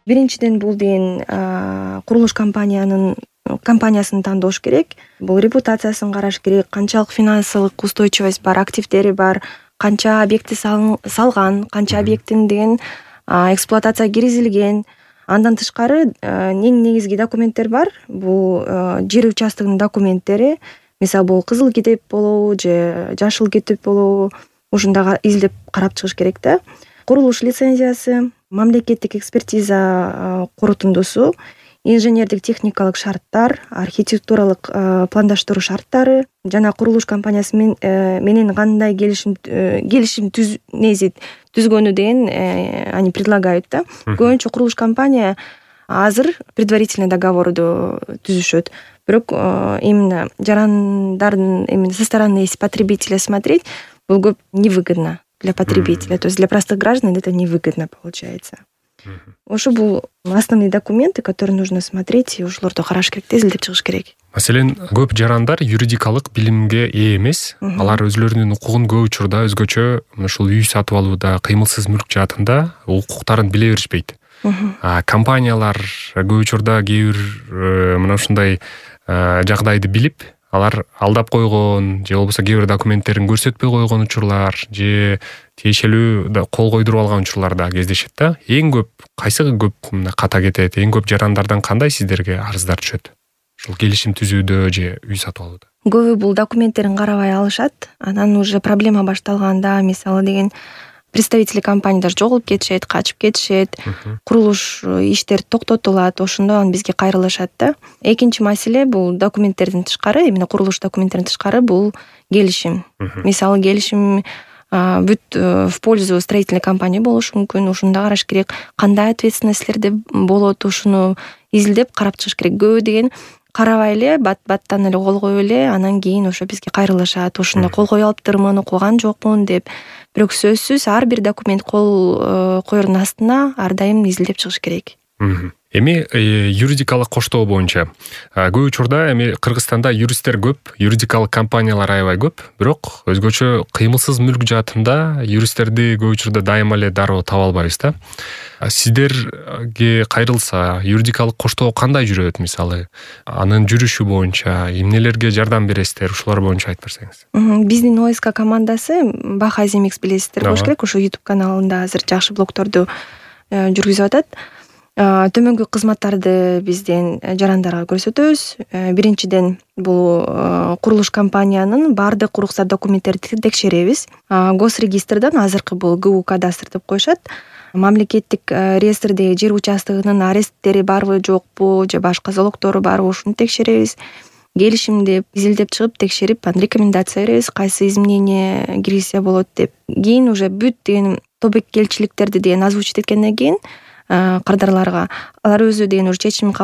Биринчиден бул деген курулуш компаниясын тандош керек. Бул репутациясын караш керек, канчалык финансылык устойчивость бар, активдери бар, канча объекти салган, канча объектин деген эксплуатацияга киргизилген. Андан тышкары эң негизги документтер бар. Бул жер участогунун документтери. Мисалы бул кызыл китеп болобу же жашыл китеп болобу, ушунда изилдеп карап чыгыш керек да. Курулуш лицензиясы, мамлекеттик экспертиза корутундусу, инженердик техникалык шарттар, архитектуралык пландаштыруу шарттары жана курулуш компаниясы менен кандай келишим түзгөнү деген они предлагают да. Көбүнчө курулуш компания азыр предварительный договорду түзүшөт. Бирок именно жарандардын именно со стороны если потребителя смотреть, бул көп невыгодно для потребителя. То есть для простых граждан это невыгодно получается. Ошо бул основные документы, которые нужно смотреть, и ошолорду караш керек, изилдеп чыгыш керек. Маселен, көп жарандар юридикалык билимге ээ эмес. Алар өзлөрүнүн укугун көп учурда өзгөчө ушул үй сатып алууда, кыймылсыз мүлк жаатында укуктарын биле беришпейт. Компаниялар көп учурда кээ бир мына ушундай жагдайды билип, алар алдап койгон же болбосо кээ бир документтерин көрсөтпөй койгон учурлар же тиешелүү кол койдуруп алган учурлар да кездешет да. Эң көп кайсы көп ката кетет? Эң көп жарандардан кандай сиздерге арыздар түшөт? Ушул келишим түзүүдө же үй сатып алууда? Көбү бул документтерин карабай алышат. Анан уже проблема башталганда, мисалы деген представители компаниядар жоголуп кетишет, качып кетишет, курулуш иштер токтотулат, ошондо анан бизге кайрылышат да. Экинчи маселе бул документтердин тышкары, именно курулуш документтерин тышкары бул келишим. Мисалы келишим бүт в пользу строительной компании болушу мүмкүн. Ушунда караш керек, кандай ответственностьлерде болот, ушуну изилдеп карап чыгыш керек. Көбү деген карабай эле баттан эле кол коюп эле, анан кийин ошо бизге кайрылышат. Ошондо кол кое алыптырмын, окуган жокмун деп. Бирок сөзсүз ар бир документ кол коердун астына ар дайым изилдеп чыгыш керек. Эми юридикалык коштоо боюнча көп учурда эми Кыргызстанда юристтер көп, юридикалык компаниялар аябай көп, бирок өзгөчө кыймылсыз мүлк жаатында юристтерди көп учурда дайыма эле дароо таба албайбыз да. Сиздерге кайрылса, юридикалык коштоо кандай жүрөт мисалы? Анын жүрүшү боюнча эмнелерге жардам бересиздер? Ушулар боюнча айтып берсеңиз. Биздин ОСК командасы Баха Земикс билесиздер болуш керек. Ошо YouTube каналында азыр жакшы блогторду жүргүзүп атат. Төмөнкү кызматтарды бизден жарандарга көрсөтөбүз. Биринчиден бул курулуш компаниянын баардык уруксат документтерин текшеребиз. Госрегистрден азыркы бул ГУ кадастр деп коюшат. Мамлекеттик реестрдеги жер участогунун аресттери барбы, жокпу, же башка залогтору барбы, ушуну текшеребиз. Келишимди изилдеп чыгып, текшерип, анан рекомендация беребиз, кайсы изменение киргизсе болот деп. Кийин уже бүт деген тобокелчиликтерди деген озвучить эткенден кийин кардарларга алар өзү деген уже чечим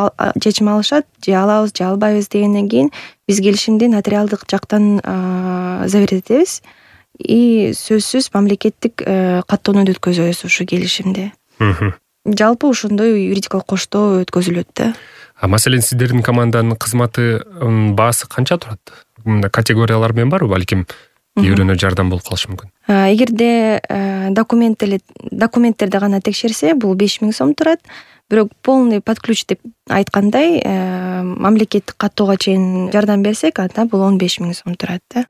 алышат, же алабыз, же албайбыз дегенден кийин биз келишимди нотариалдык жактан заверить этебиз. И сөзсүз мамлекеттик каттоонуну өткөзөбүз ушу келишимди. Жалпы ошондой юридикалык коштоо өткөзүлөт да. Маселен, сиздердин команданын кызматы баасы канча турат? Категориялар менен барбы? Балким үйрөнө жардам болуп калышы мүмкүн. Эгерде документтерди гана текшерсе, бул 5000 сом турат. Бирок полный под ключ деп айткандай, мамлекеттик каттоого чейин жардам берсек, анда бул 15000 сом турат да.